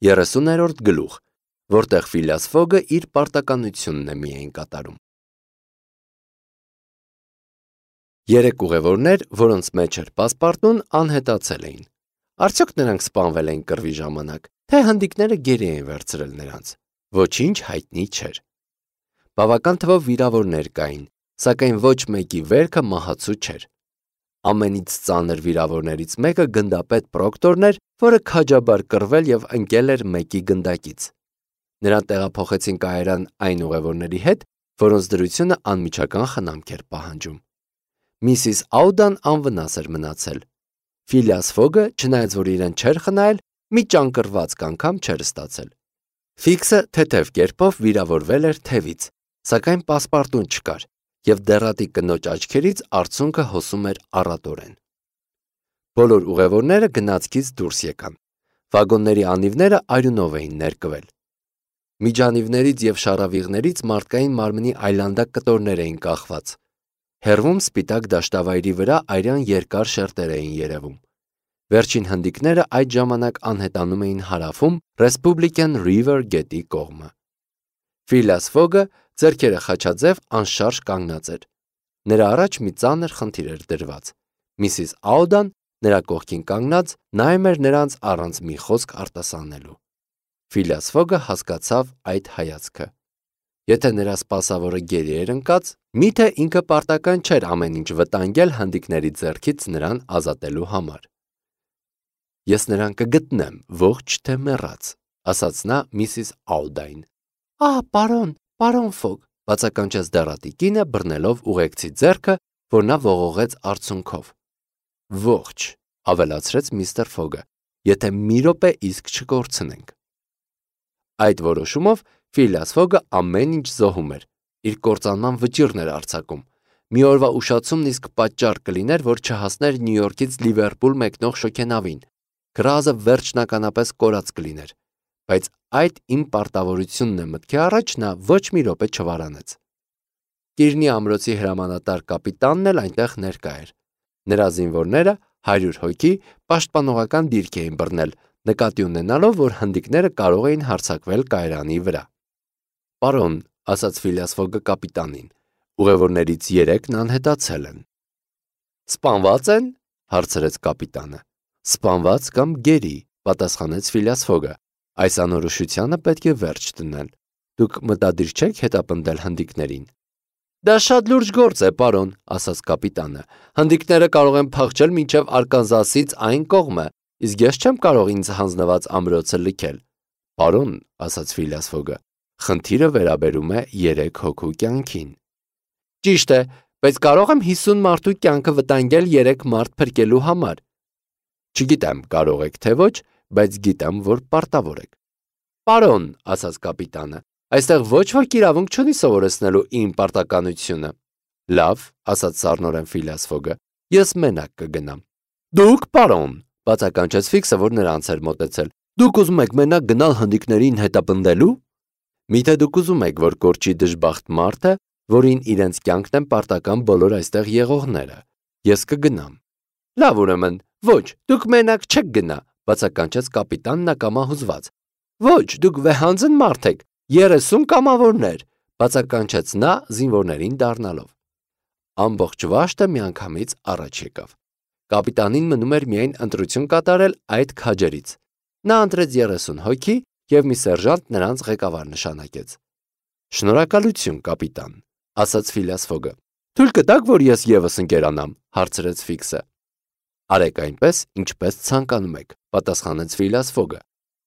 30-րդ գլուխ, որտեղ Ֆիլիաս Ֆոգը իր պարտականությունն է միայն կատարում։ 3 ուղևորներ, որոնց մեջ էր պասպարտուն, անհետացել էին։ Արդյոք նրանք սպանվել էին կռվի ժամանակ, թե հնդիկները գերի էին վերցրել նրանց։ Ոչինչ հայտնի չէր։ Բավական թվով վիրավորներ կային, սակայն ոչ մեկի վերքը մահացու չէր։ Ամենից ծանր վիրավորներից մեկը գնդապետ Պրոկտորն էր, որը քաջաբար կռվել եւ ընկել էր մեկի գնդակից։ Նրան տեղափոխեցին կայարան այն ուղևորների հետ, որոնց դրությունը անմիջական խնամք էր պահանջում։ Միսիս Աուդան անվնաս էր մնացել։ Ֆիլիաս Ֆոգը, չնայած որ իրեն չէր խնայել, մի ճանկռված անգամ չէր ստացել։ Ֆիքսը թեթև կերպով վիրավորվել էր թևից, սակայն պասպարտուն չկար, եւ դեռատի կնոջ աչքերից արցունքը հոսում էր առատորեն։ Բոլոր ուղևորները գնացքից դուրս եկան։ Վագոնների անիվները արյունով էին ներկվել։ Միջանիվներից եւ շարավիղներից մարդկային մարմնի այլանդակ կտորներ էին կախված։ Հեռվում սպիտակ դաշտավայրի վրա արյան երկար շերտեր էին երևում։ Վերջին հնդիկները այդ ժամանակ անհետանում էին հարավում Republican River գետի կողմը։ Ֆիլիաս Ֆոգը ձեռքերը խաչաձև անշարժ կանգնած էր։ Նրա առաջ մի ծանր խնդիր էր դրված։ Միսիս Աուդան նրա կողքին կանգնած նայում էր նրանց առանց մի խոսք արտասանելու։ Ֆիլիաս Ֆոգը հասկացավ այդ հայացքը։ Եթե նրա սպասավորը գերի էր ընկած, միթե ինքը պարտական չէր ամեն ինչ վտանգել հնդիկների ձեռքից նրան ազատելու համար։ Ես նրան կգտնեմ, ողջ թե մեռած, ասաց նա միսիս Աուդային։ Պարոն Ֆոգ, բացականչեց դեռատի կինը, բռնելով ուղեկցի ձեռքը, որ նա ողողեց արցունքով։ Ողջ, ավելացրեց միստր Ֆոգը, եթե մի րոպե իսկ չկորցնենք։ Այդ որոշումով Ֆիլիաս Ֆոգը ամեն ինչ զոհում էր, իր կործանման վճիռն էր արձակում։ Մի օրվա ուշացումն իսկ պատճառ կլիներ, որ չհասներ Նյու Յորքից Լիվերպուլ մեկնող շոգենավին։ Գրազը վերջնականապես կորած կլիներ, բայց այդ իմ պարտավորությունն է մտքի առաջ նա ոչ մի րոպե չվարանեց։ Կիրնի ամրոցի հրամանատար կապիտանն էլ այնտեղ ներկա էր։ Նրա զինվորները 100 հոգի պաշտպանողական դիրք էին բռնել, նկատի ունենալով, որ հնդիկները կարող էին հարձակվել կայարանի վրա։ Պարոն, ասաց Ֆիլիաս Ֆոգը կապիտանին, ուղևորներից 3-ն անհետացել են։ Սպանված են, հարցրեց կապիտանը։ Սպանված կամ գերի, պատասխանեց Ֆիլիաս Ֆոգը։ Այս անորոշությանը պետք է վերջ դնել։ Դուք մտադիր չեք հետապնդել հնդիկներին։ Դա շատ լուրջ գործ է, պարոն, ասաց կապիտանը։ Հնդիկները կարող են փախչել մինչև Արկանզասից այն կողմը, իսկ ես չեմ կարող ինձ հանձնված ամրոցը լքել։ Պարոն, ասաց Ֆիլիաս Ֆոգը, խնդիրը վերաբերում է 3 հոգու կյանքին։ Ճիշտ է, բայց կարող եմ 50 մարդու կյանքը վտանգել 3 մարդ փրկելու համար։ Չգիտեմ, կարող եք թե ոչ, բայց գիտեմ, որ պարտավոր եք։ Պարոն, ասաց կապիտանը, այստեղ ոչ ոք իրավունք չունի սովորեցնելու իմ պարտականությունը։ Լավ, ասաց սառնորեն Ֆիլիաս Ֆոգը, ես մենակ կգնամ։ Դուք, պարոն, բացականչեց Ֆիքսը, որ նրանց էր մոտեցել։ Դուք ուզում եք մենակ գնալ հնդիկներին հետապնդելու։ Միթե դուք ուզում եք, որ կորչի դժբախտ մարդը, որին իրենց կյանքն են պարտական բոլոր այստեղ եղողները։ Ես կգնամ։ Լավ, ուրեմն, ոչ, դուք մենակ չեք գնա, բացականչեց կապիտանն ակամահուզված։ Ոչ, դուք վեհանձն մարդ եք, 30 կամավորներ, բացականչեց նա զինվորներին դառնալով։ Ամբողջ վաշտը միանգամից առաջ եկավ։ Կապիտանին մնում էր միայն ընտրություն կատարել այդ քաջերից։ Նա ընտրեց 30 հոգի եւ մի սերժանտ նրանց ղեկավար նշանակեց։ Շնորհակալություն, կապիտան, ասաց Ֆիլիաս Ֆոգը։ Թույլ կտաք, որ ես եւս ընկերանամ, հարցրեց Ֆիքսը։ Արեք այնպես, ինչպես ցանկանում եք, պատասխանեց Ֆիլիաս Ֆոգը։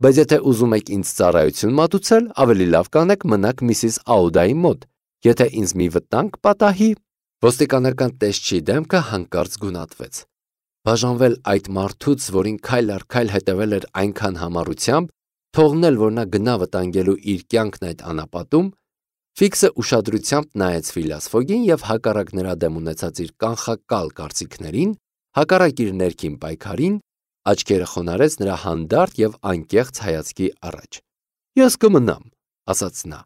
Բայց եթե ուզում եք ինձ ծառայություն մատուցել, ավելի լավ կանեք մնաք միսիս Աուդայի մոտ։ Եթե ինձ մի վտանգ պատահի, ոստիկանական տեսչի դեմքը հանկարծ գունատվեց։ Բաժանվել այդ մարդուց, որին քայլ առ քայլ հետևել էր այնքան համառությամբ, թողնել, որ նա գնա վտանգելու իր կյանքն այդ անապատում, Ֆիքսը ուշադրությամբ նայեց Ֆիլիաս Ֆոգին եւ հակառակ նրա դեմ ունեցած իր կանխակալ կարծիքներին, հակառակ իր ներքին պայքարին, աչքերը խոնարհեց նրա հանդարտ եւ անկեղծ հայացքի առաջ։ Ես կմնամ, ասաց նա։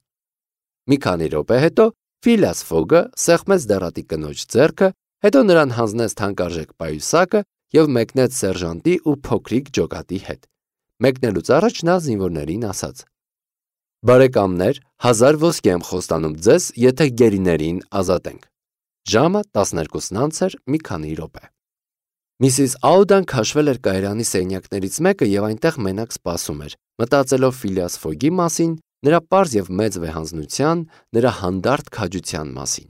Մի քանի րոպե հետո Ֆիլիաս Ֆոգը սեղմեց դեռատի կնոջ ձեռքը, հետո նրան հանձնեց թանկարժեք պայուսակը եւ մեկնեց սերժանտի ու փոքրիկ ջոկատի հետ։ Մեկնելուց առաջ նա զինվորներին ասաց. «Բարեկամներ, 1000 ոսկի եմ խոստանում ձեզ, եթե գերիներին ազատենք»։ Ժամը 12-ն անց էր մի քանի րոպե։ Միսիս Աուդան քաշվել էր կայարանի սենյակներից մեկը և այնտեղ մենակ սպասում էր, մտածելով Ֆիլիաս Ֆոգի մասին, նրա պարզ և մեծ վեհանձնության, նրա հանդարտ քաջության մասին։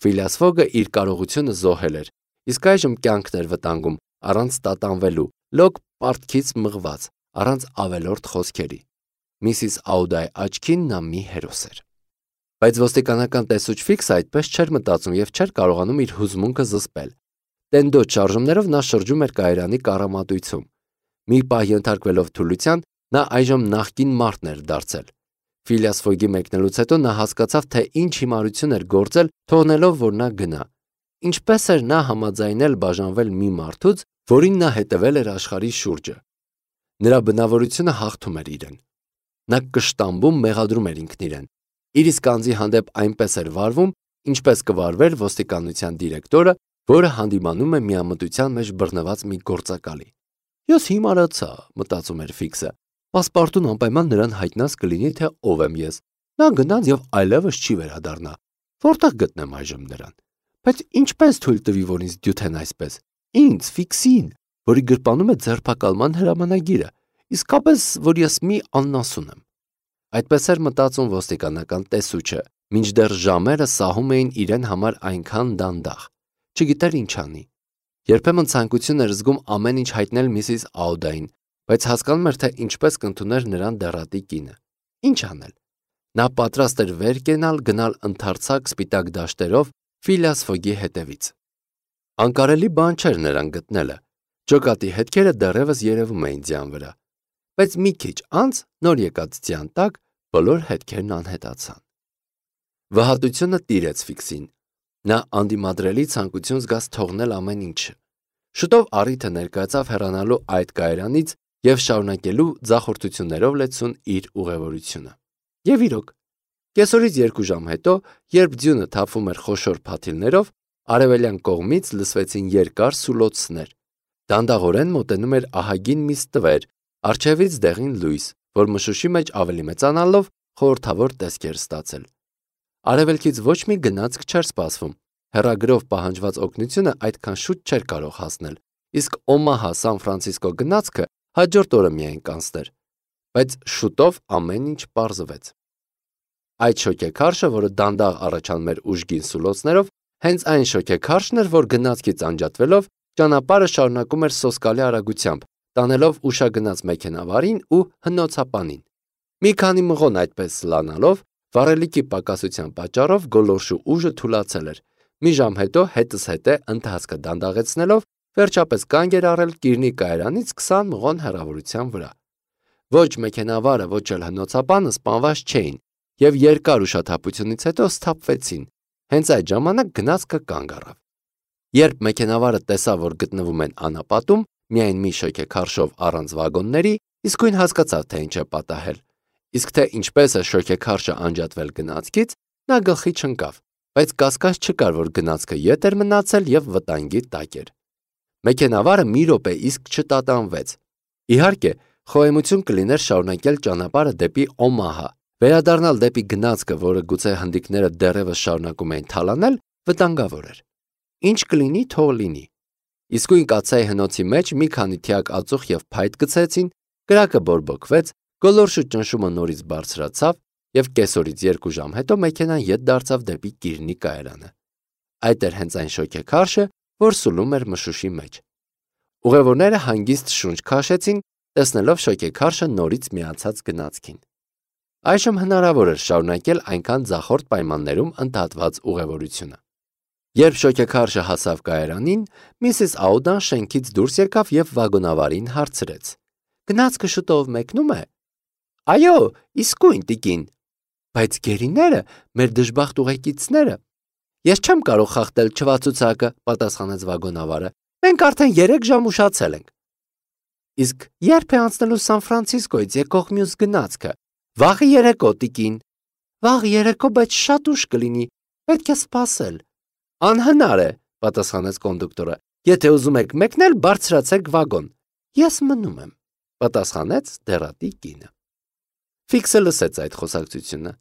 Ֆիլիաս Ֆոգը իր կարողությունը զոհել էր, իսկ այժմ կյանքն էր վտանգում, առանց տատանվելու, լոկ պարտքից մղված, առանց ավելորդ խոսքերի։ Միսիս Աուդայի աչքին նա մի հերոս էր։ Բայց ոստիկանական տեսուչ Ֆիքսը այդպես չէր մտածում և չէր կարողանում իր հուզմունքը զսպել։ Տենդոտ շարժումներով նա շրջում էր կայարանի կառամատույցում։ Մի պահ ենթարկվելով թուլության, նա այժմ նախկին մարդն էր դարձել։ Ֆիլիաս Ֆոգի մեկնելուց հետո նա հասկացավ, թե ինչ հիմարություն էր գործել, թողնելով, որ նա գնա։ Ինչպես էր նա համաձայնել բաժանվել մի մարդուց, որին նա հետևել էր աշխարհի շուրջը։ Նրա բնավորությունը հաղթում էր իրեն։ Նա կշտամբում մեղադրում էր ինքն իրեն։ Իր իսկ անձի հանդեպ այնպես էր վարվում, ինչպես կվարվեր ոստիկանության դիրեկտորը, որը հանդիմանում է միամտության մեջ բռնված մի գործակալի։ «Ես հիմարացա», մտածում էր Ֆիքսը։ «Պասպարտուն անպայման նրան հայտնած կլինի, թե ով եմ ես։ Նա գնաց և այլևս չի վերադառնա։ Որտեղ գտնեմ այժմ նրան։ Բայց ինչպես թույլ տվի, որ ինձ դյութեն այսպես։ Ինձ, Ֆիքսին, որի գրպանում է ձերբակալման հրամանագիրը, իսկապես, որ ես մի աննասուն եմ»։ Այդպես էր մտածում ոստիկանական տեսուչը, մինչդեռ ժամերը սահում էին իրեն համար այնքան դանդաղ։ Չգիտեր ինչ անի։ Երբեմն ցանկություն էր զգում ամեն ինչ հայտնել Միսիս Աուդային, բայց հասկանում էր, թե ինչպես կընդուներ նրան դեռատի կինը։ Ինչ անել։ Նա պատրաստ էր վեր կենալ, գնալ ընդարձակ սպիտակ դաշտերով Ֆիլիաս Ֆոգի հետևից։ Անկարելի բան չէր նրան գտնելը։ Ջոկատի հետքերը դեռևս երևում էին ձյան վրա։ Բայց մի քիչ անց, նոր եկած ձյան տակ, բոլոր հետքերն անհետացան։ Վհատությունը տիրեց Ֆիքսին։ Նա անդիմադրելի ցանկություն զգաց թողնել ամեն ինչը։ Շուտով առիթը ներկայացավ հեռանալու այդ կայարանից և շարունակելու ձախորդություններով լեցուն իր ուղևորությունը։ Եվ իրոք, կեսօրից 2 ժամ հետո, երբ ձյունը թափվում էր խոշոր փաթիլներով, արևելյան կողմից լսվեցին երկար սուլոցներ։ Դանդաղորեն մոտենում էր ահագին մի ստվեր, առջևից դեղին լույս, որ մշուշի մեջ ավելի մեծանալով խորհրդավոր տեսք էր ստացել։ Արևելքից ոչ մի գնացք չէր սպասվում։ Հեռագրով պահանջված օգնությունը այդքան շուտ չէր կարող հասնել, իսկ Օմահա Սան Ֆրանցիսկո գնացքը հաջորդ օրը միայն կանցներ։ Բայց շուտով ամեն ինչ պարզվեց։ Այդ շոգեքարշը, որը դանդաղ առաջանում էր ուժգին սուլոցներով, հենց այն շոգեքարշն էր, որ գնացքից անջատվելով ճանապարհը շարունակում էր սոսկալի արագությամբ, տանելով ուշագնաց մեքենավարին ու հնոցապանին։ Մի քանի մղոն այդպես լանալով, վառելիքի պակասության պատճառով գոլորշու ուժը թուլացել էր։ Մի ժամ հետո հետզհետե ընթացքը դանդաղեցնելով, վերջապես կանգ էր առել Կիրնի կայարանից 20 մղոն հեռավորության վրա։ Ոչ մեքենավարը, ոչ էլ հնոցապանը սպանված չէին և երկար ուշաթափությունից հետո սթափվեցին։ Հենց այդ ժամանակ գնացքը կանգ առավ։ Երբ մեքենավարը տեսավ, որ գտնվում են անապատում, միայն մի շոգեքարշով առանց վագոնների, իսկույն հասկացավ, թե ինչ է պատահել։ Իսկ թե ինչպես է շոգեքարշը անջատվել գնացքից, նա գլխի չընկավ, բայց կասկած չկար, որ գնացքը ետ էր մնացել և վտանգի տակ էր։ Մեքենավարը մի րոպե իսկ չտատանվեց։ Իհարկե, խոհեմություն կլիներ շարունակել ճանապարհը դեպի Օմահա, վերադառնալ դեպի գնացքը, որը գուցե հնդիկները դեռևս շարունակում էին թալանել, վտանգավոր էր։ Ինչ կլինի, թող լինի։ Իսկույն կաթսայի հնոցի մեջ մի քանի թիակ ածուխ և փայտ գցեցին, կրակը բորբոքվեց, գոլորշու ճնշումը նորից բարձրացավ և կեսօրից 2 ժամ հետո մեքենան ետ դարձավ դեպի Կիրնի կայարանը։ Այդ էր հենց այն շոգեքարշը, որ սուլում էր մշուշի մեջ։ Ուղևորները հանգիստ շունչ քաշեցին, տեսնելով շոգեքարշը նորից միացած գնացքին։ Այժմ հնարավոր էր շարունակել այնքան ձախորդ պայմաններում ընդհատված ուղևորությունը։ Երբ շոգեքարշը հասավ կայարանին, Միսիս Աուդան շենքից դուրս եկավ և վագոնավարին հարցրեց. «Գնացքը շուտով մեկնո՞ւմ է»։ «Այո, իսկույն, տիկին»։ «Բայց գերիները, մեր դժբախտ ուղեկիցները»։ «Ես չեմ կարող խախտել չվացուցակը», պատասխանեց վագոնավարը։ «Մենք արդեն 3 ժամ ուշացել ենք»։ «Իսկ ե՞րբ է անցնելու Սան Ֆրանցիսկոից եկող մյուս գնացքը»։ «Վաղը երեկո, տիկին»։ «Վաղ երեկո, բայց շատ ուշ կլինի, պետք է սպասել»։ «Անհնար է», պատասխանեց կոնդուկտորը։ «Եթե ուզում եք մեկնել, բարձրացեք վագոն։ Ես մնում եմ»։ պատասխանեց դեռատի կինը։ Ֆիքսը լսեց այդ խոսակցությունը։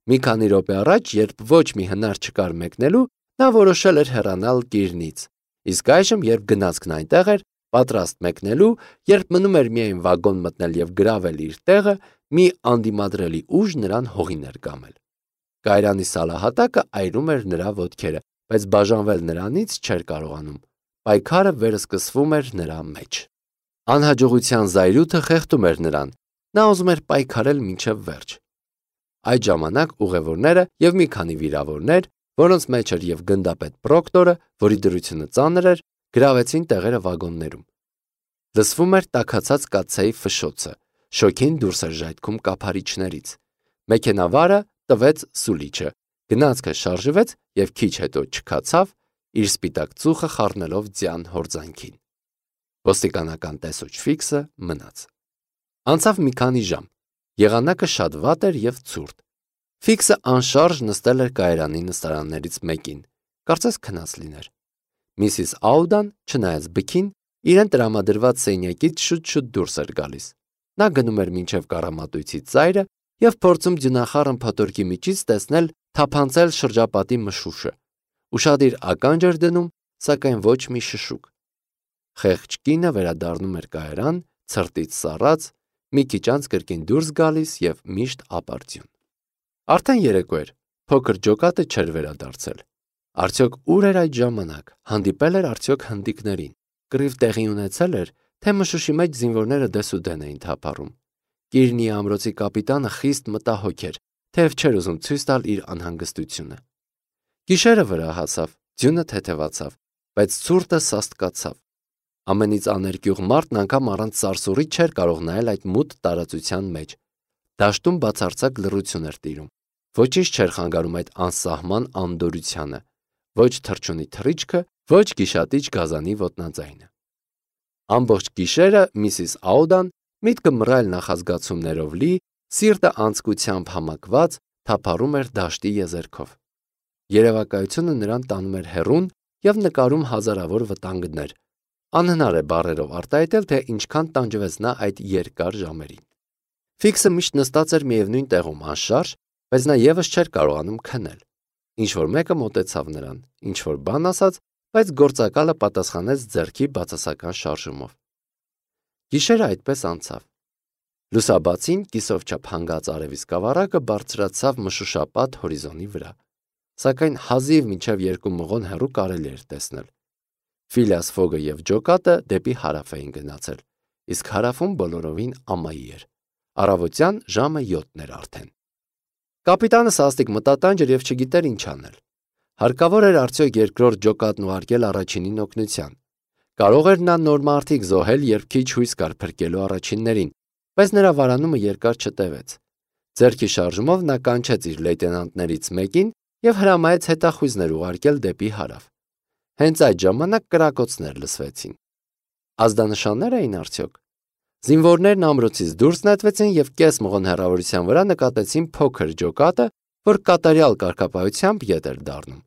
Մի քանի րոպե առաջ, երբ ոչ մի հնար չկար մեկնելու, նա որոշել էր հեռանալ Կիրնից, իսկ այժմ, երբ գնացքն այնտեղ էր, պատրաստ մեկնելու, երբ մնում էր միայն վագոն մտնել եւ գրավել իր տեղը, մի անդիմադրելի ուժ նրան հողին էր կամել։ Կայարանի սալահատակը այրում էր նրա ոտքերը, բայց բաժանվել նրանից չէր կարողանում։ Պայքարը վերսկսվում էր նրա մեջ։ Անհաջողության զայրույթը խեղդում էր նրան։ Նա ուզում էր պայքարել մինչև վերջ։ Այդ ժամանակ ուղևորները եւ մի քանի վիրավորներ, որոնց մեջ էր եւ գնդապետ Պրոկտորը, որի դրությունը ծանր էր, գրավեցին տեղերը վագոններում։ Լսվում էր տաքացած կաթսայի ֆշշոցը, շոգին դուրս էր ժայթքում կափարիչներից։ Մեքենավարը տվեց սուլիչը, գնացքը շարժվեց եւ քիչ հետո չքացավ, իր սպիտակ ծուխը խառնելով ձյան հորձանքին։ Ոստիկանական տեսուչ Ֆիքսը մնաց։ Անցավ մի քանի ժամ։ Եղանակը շատ վատ էր եւ ցուրտ։ Ֆիքսը անշարժ նստել էր կայարանի նստարաններից մեկին, կարծես քնած լիներ։ Միսիս Աուդան, չնայած բքին, իրեն տրամադրված սենյակից շուտ-շուտ դուրս էր գալիս։ Նա գնում էր մինչև կառամատույցի ծայրը եւ փորձում ձյունախառն փոթորկի միջից տեսնել թափանցել շրջապատի մշուշը։ Ուշադիր ականջ էր դնում, սակայն ոչ մի շշուկ։ Խեղճ կինը վերադառնում էր կայարան, ցրտից սառած, մի քիչ անց կրկին դուրս գալիս եւ միշտ ապարդյուն։ Արդեն երեկո էր, փոքր ջոկատը չէր վերադարձել։ Արդյոք ուր էր այդ ժամանակ, հանդիպել էր արդյոք հնդիկներին, կռիվ տեղի ունեցել էր, թե մշուշի մեջ զինվորները դեսուդեն էին թափառում։ Կիրնի ամրոցի կապիտանը խիստ մտահոգ էր, թեև չէր ուզում ցույց տալ իր անհանգստությունը։ Գիշերը վրա հասավ, ձյունը թեթևացավ, բայց ցուրտը սաստկացավ։ Ամենից աներկյուղ մարդն անգամ առանց սարսուռի չէր կարող նայել այդ մութ տարածության մեջ։ Դաշտում բացարձակ լռություն էր տիրում։ Ոչինչ չէր խանգարում այդ անսահման անդորությանը, ոչ թռչունի թռիչքը, ոչ գիշատիչ գազանի ոտնաձայնը։ Ամբողջ գիշերը Միսիս Աուդան, միտքը մռայլ նախազգացումներով լի, սիրտը անձկությամբ համակված, թափառում էր դաշտի եզերքով։ Երևակայությունը նրան տանում էր հեռուն եւ նկարում հազարավոր վտանգներ։ Անհնար է բառերով արտահայտել, թե ինչքան տանջվեց նա այդ երկար ժամերին։ Ֆիքսը միշտ նստած էր միևնույն տեղում անշարժ, բայց նա եւս չէր կարողանում քնել։ Ինչ-որ մեկը մոտեցավ նրան, ինչ-որ բան ասաց, բայց գործակալը պատասխանեց ձեռքի բացասական շարժումով։ Գիշերը այդպես անցավ։ Լուսաբացին կիսով չափ հանգած արևի սկավառակը բարձրացավ մշուշապատ հորիզոնի վրա, սակայն հազիվ մինչև 2 մղոն հեռու կարելի էր տեսնել։ Ֆիլիաս Ֆոգը եւ ջոկատը դեպի հարավ էին գնացել, իսկ հարավում բոլորովին ամայի էր։ Առավոտյան ժամը 7-ն էր արդեն։ Կապիտանը սաստիկ մտատանջ էր եւ չգիտեր ինչ անել։ Հարկավոր էր արդյոք երկրորդ ջոկատն ուղարկել առաջինին օգնության։ Կարող էր նա նոր մարդիկ զոհել, երբ քիչ հույս կար փրկելու առաջիններին, բայց նրա վարանումը երկար չտևեց։ Ձեռքի շարժումով նա կանչեց իր լեյտենանտներից մեկին եւ հրամայեց հետախույզներ ուղարկել դեպի հարավ։ Հենց այդ ժամանակ կրակոցներ լսվեցին։ Ազդանշաններ էին արդյոք։ Զինվորներն ամրոցից դուրս նետվեցին եւ կես մղոն հեռավորության վրա նկատեցին փոքր ջոկատը, որ կատարյալ կարգապահությամբ ետ էր դառնում։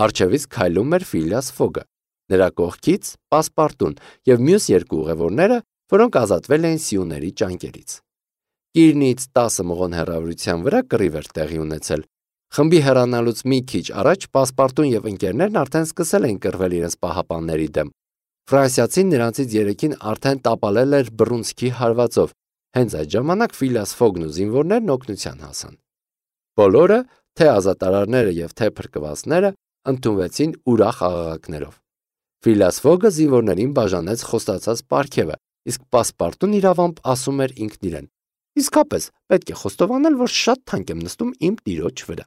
Առջևից քայլում էր Ֆիլիաս Ֆոգը, նրա կողքից Պասպարտուն եւ մյուս երկու ուղևորները, որոնք ազատվել էին սիուների ճանկերից։ Կիրնից 10 մղոն հեռավորության վրա կռիվ էր տեղի ունեցել։ Խմբի հեռանալուց մի քիչ առաջ Պասպարտուն եւ ընկերներն արդեն սկսել էին կռվել իրենց պահապանների դեմ։ Ֆրանսիացին նրանցից 3-ին արդեն տապալել էր բռունցքի հարվածով։ Հենց այդ ժամանակ Ֆիլիաս Ֆոգն ու զինվորներն օգնության հասան։ Բոլորը, թե ազատարարները եւ թե փրկվածները, ընդունվեցին ուրախ աղաղակներով։ Ֆիլիաս Ֆոգը զինվորներին բաժանեց խոստացած պարգևը, իսկ Պասպարտուն իրավամբ ասում էր ինքն իրեն. «Իսկապես, պետք է խոստովանել, որ շատ թանկ եմ նստում իմ տիրոջ վրա»։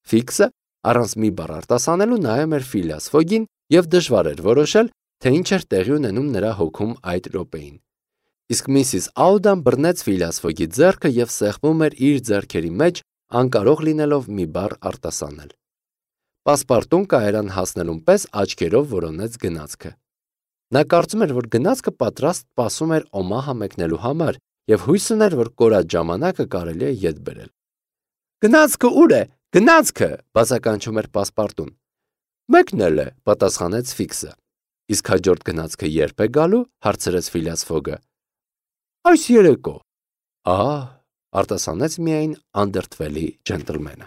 Ֆիքսը առանց մի բառ արտասանելու նայում էր Ֆիլիաս Ֆոգին եւ դժվար էր որոշել, թե ինչ էր տեղի ունենում նրա հոգում այդ րոպեին։ Իսկ Միսիս Աուդան բռնեց Ֆիլիաս Ֆոգի ձեռքը եւ սեղմում էր իր ձեռքերի մեջ, անկարող լինելով մի բառ արտասանել։ Պասպարտուն կայարան հասնելուն պես աչքերով որոնեց գնացքը։ Նա կարծում էր, որ գնացքը պատրաստ սպասում էր Օմահա մեկնելու համար եւ հույս ուներ, որ կորած ժամանակը կարելի է ետ բերել։ «Գնացքը ուր է? Գնացքը!» բացականչում էր Պասպարտուն։ «Մեկնել է», պատասխանեց Ֆիքսը։ «Իսկ հաջորդ գնացքը երբ է գալու?» հարցրեց Ֆիլիաս Ֆոգը։ Այս երեկո։ Ահա, արտասանեց միայն անդրդվելի ջենտլմենը։